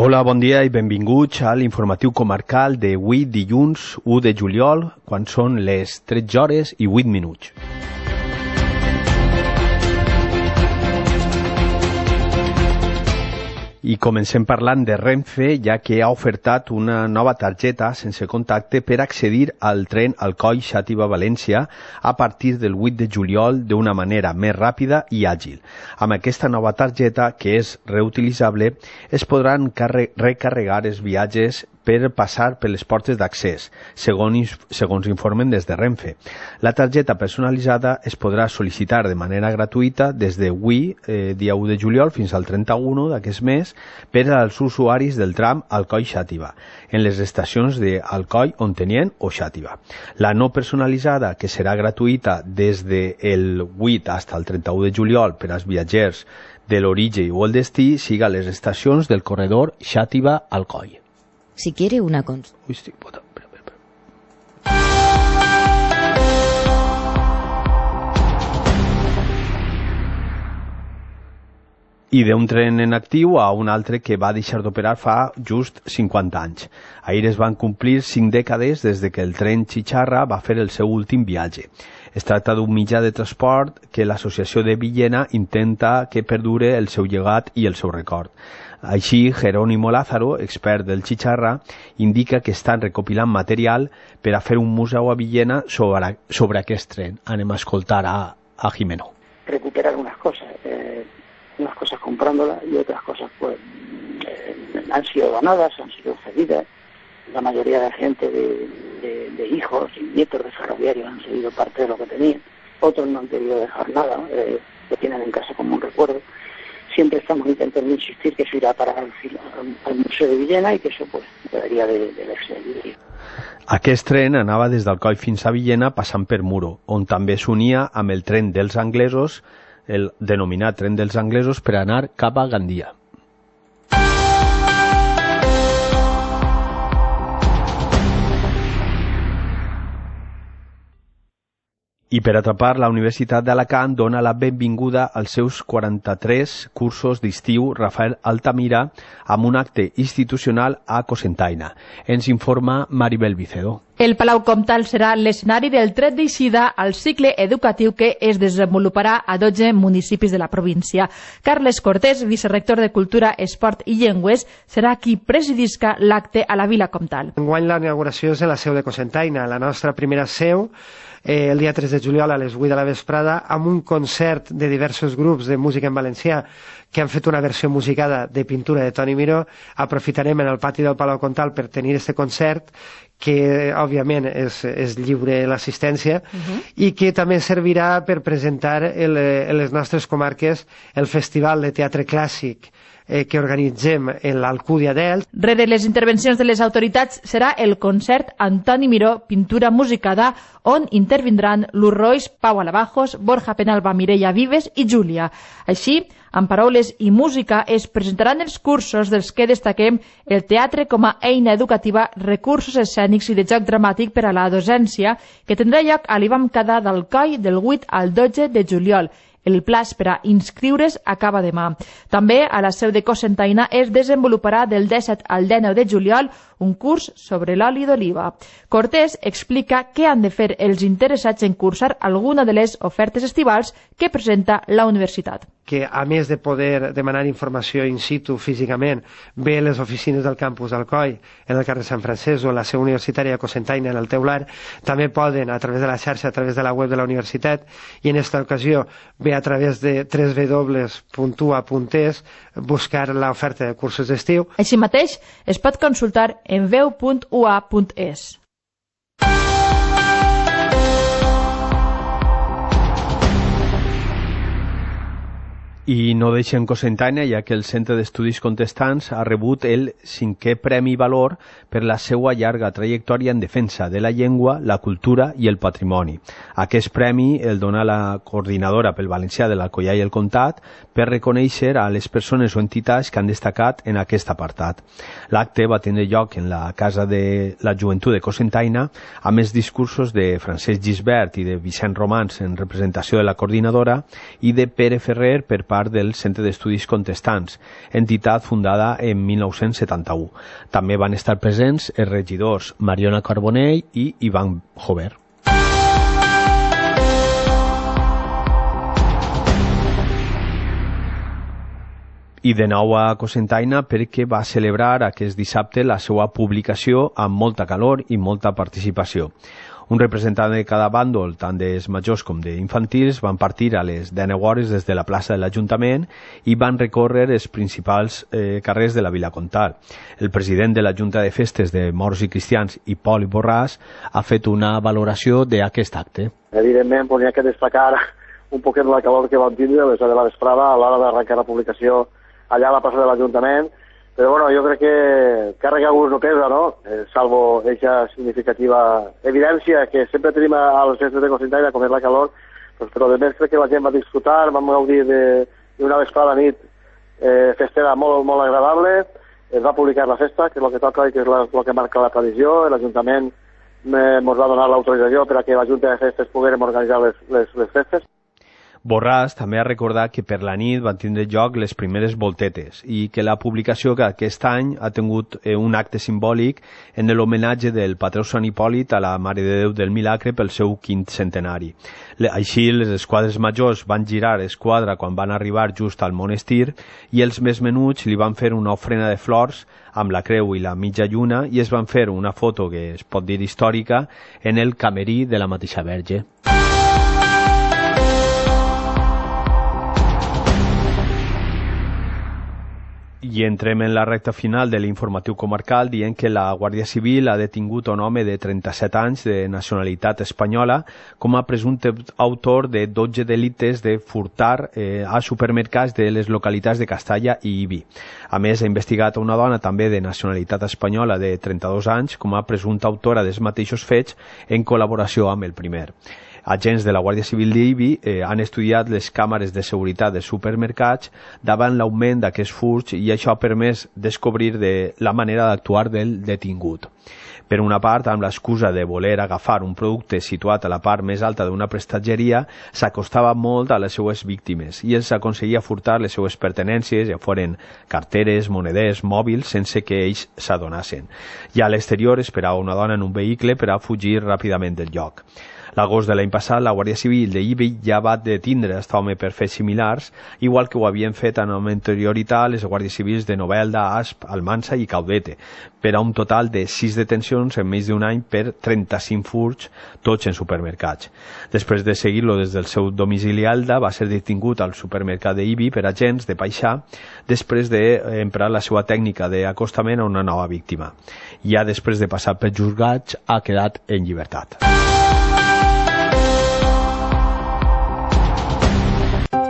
Hola, bon dia i benvinguts a l'informatiu comarcal d'avui dilluns 1 de juliol, quan són les 13 hores i 8 minuts. I comencem parlant de Renfe, ja que ha ofertat una nova targeta sense contacte per accedir al tren Alcoi-Xàtiva-València a partir del 8 de juliol d'una manera més ràpida i àgil. Amb aquesta nova targeta, que és reutilitzable, es podran recarregar els viatges per passar per les portes d'accés, segons informen des de Renfe. La targeta personalitzada es podrà sol·licitar de manera gratuïta des d'avui, dia 1 de juliol, fins al 31 d'aquest mes, per als usuaris del tram Alcoi-Xàtiva, en les estacions d'Alcoi, Ontinyent o Xàtiva. La no personalitzada, que serà gratuïta des del 8 fins al 31 de juliol per als viatgers de l'origen o el destí, siga a les estacions del corredor Xàtiva-Alcoi. Si quiere una consulta. Uy, estoy botando. I d'un tren en actiu a un altre que va deixar d'operar fa just 50 anys. Ahir es van complir 5 dècades des de que el tren Chicharra va fer el seu últim viatge. Es tracta d'un mitjà de transport que l'associació de Villena intenta que perdure el seu llegat i el seu record. Així, Jerónimo Lázaro, expert del Chicharra, indica que estan recopilant material per a fer un museu a Villena sobre aquest tren. Anem a escoltar a Jimeno. Recuperar unas cosas comprándolas y otras cosas pues han sido donadas, han sido cedidas. La mayoría de gente de hijos y nietos de ferroviarios han cedido parte de lo que tenían. Otros no han querido dejar nada, lo tienen en casa como un recuerdo. Siempre estamos intentando insistir que eso irá para al Museu de Villena i que això pues, quedaria de l'exili. Aquest tren anava des d'Alcoi fins a Villena passant per Muro, on també s'unia amb el tren dels anglesos, el denominat tren dels anglesos, per anar cap a Gandia. I per atrapar, la Universitat d'Alacant dona la benvinguda als seus 43 cursos d'estiu Rafael Altamira amb un acte institucional a Cocentaina. Ens informa Maribel Vicedo. El Palau Comtal serà l'escenari del tret d'eixida al cicle educatiu que es desenvoluparà a 12 municipis de la província. Carles Cortés, vicerrector de Cultura, Esport i Llengües, serà qui presidisca l'acte a la Vila Comtal. Enguany la inauguració és a la seu de Cocentaina, la nostra primera seu, el dia 3 de juliol a les 8 de la vesprada, amb un concert de diversos grups de música en valencià que han fet una versió musicada de pintura de Toni Miró. Aprofitarem en el pati del Palau Comtal per tenir este concert, que òbviament és lliure l'assistència, i que també servirà per presentar en les nostres comarques el Festival de Teatre Clàssic que organitzem en l'Alcúdia d'Elx. Rere les intervencions de les autoritats serà el concert Antoni Miró, pintura musicada, on intervindran Luz Roix, Pau Alabajos, Borja Penalba, Mireia Vives i Júlia. Així, amb paraules i música, es presentaran els cursos dels que destaquem el teatre com a eina educativa, recursos escènics i de joc dramàtic per a la docència, que tindrà lloc a l'IBAM Cadà d'Alcoi del 8 al 12 de juliol. El plaç per a inscriure's acaba demà. També a la seu de Cocentaina es desenvoluparà del 17 al 19 de juliol un curs sobre l'oli d'oliva. Cortés explica què han de fer els interessats en cursar alguna de les ofertes estivals que presenta la universitat. Que a més de poder demanar informació in situ físicament, ve a les oficines del campus d'Alcoi, en el carrer Sant Francesc o la seu universitària de Cocentaina en el Teular, també poden a través de la xarxa, a través de la web de la universitat, i en aquesta ocasió ve a través de www.ua.es buscar l'oferta de cursos d'estiu. Així mateix es pot consultar en veu.ua.es. I no deixem Cocentaina, ja que el Centre d'Estudis Contestants ha rebut el 5è Premi Valor per la seva llarga trajectòria en defensa de la llengua, la cultura i el patrimoni. Aquest premi el dona la coordinadora pel valencià de l'Alcoià i el Comtat per reconèixer a les persones o entitats que han destacat en aquest apartat. L'acte va tenir lloc en la Casa de la Joventut de Cocentaina, amb els discursos de Francesc Gisbert i de Vicent Romans en representació de la coordinadora i de Pere Ferrer per part titular del Centre d'Estudis Contestants, entitat fundada en 1971. També van estar presents els regidors Mariona Carbonell i Ivan Jover. I de nou a Cocentaina perquè va celebrar aquest dissabte la seva publicació amb molta calor i molta participació. Un representant de cada bàndol, tant dels majors com d'infantils, van partir a les 10 hores des de la plaça de l'Ajuntament i van recórrer els principals carrers de la Vila Comtal. El president de la Junta de Festes de Morts i Cristians, Hipòlit Borràs, ha fet una valoració d'aquest acte. Evidentment, n'hi ha que destacar un poquet la calor que vam tindre a les 10 de la vesprada a l'hora d'arrencar la publicació allà a la plaça de l'Ajuntament, però bueno, jo crec que càrrega gust no pesa, no? Salvo aquesta significativa evidència que sempre tenim a les festes de Cocentaina, com és la calor, però de més crec que la gent va disfrutar, vam gaudir d'una vesprada nit festera molt, molt agradable, es va publicar la festa, que és el que toca i que és el que marca la tradició, l'Ajuntament ens va donar l'autorització per a que la Junta de Festes poguérem organitzar les festes. Borràs també ha recordat que per la nit van tindre lloc les primeres voltetes i que la publicació que aquest any ha tingut un acte simbòlic en l'homenatge del patró Sant Hipòlit a la Mare de Déu del Milagre pel seu 5è centenari. Així, les esquadres majors van girar esquadra quan van arribar just al monestir i els més menuts li van fer una ofrena de flors amb la creu i la mitja lluna i es van fer una foto que es pot dir històrica en el camerí de la mateixa Verge. I entrem en la recta final de l'informatiu comarcal dient que la Guàrdia Civil ha detingut un home de 37 anys de nacionalitat espanyola com a presumpte autor de 12 delictes de furtar a supermercats de les localitats de Castalla i Ibi. A més, ha investigat una dona també de nacionalitat espanyola de 32 anys com a presumpta autora dels mateixos fets en col·laboració amb el primer. Agents de la Guàrdia Civil d'Ibi han estudiat les càmeres de seguretat dels supermercats davant l'augment d'aquests furts i això ha permès descobrir la manera d'actuar del detingut. Per una part, amb l'excusa de voler agafar un producte situat a la part més alta d'una prestatgeria, s'acostava molt a les seues víctimes i els aconseguia furtar les seues pertenències, ja foren carteres, moneders, mòbils, sense que ells s'adonassen. I a l'exterior esperava una dona en un vehicle per a fugir ràpidament del lloc. L'agost de l'any passat, la Guàrdia Civil d'Ibi ja va detindre aquest home per fets similars, igual que ho havien fet amb anterioritat les Guàrdies Civils de Novelda, Asp, Almansa i Caudete, per a un total de 6 detencions en més d'un any per 35 furts, tots en supermercats. Després de seguir-lo des del seu domicili a Elda, va ser detingut al supermercat d'Ibi per agents de Paixà, després d'emprar la seva tècnica d'acostament a una nova víctima. Ja després de passar pels juzgats, ha quedat en llibertat.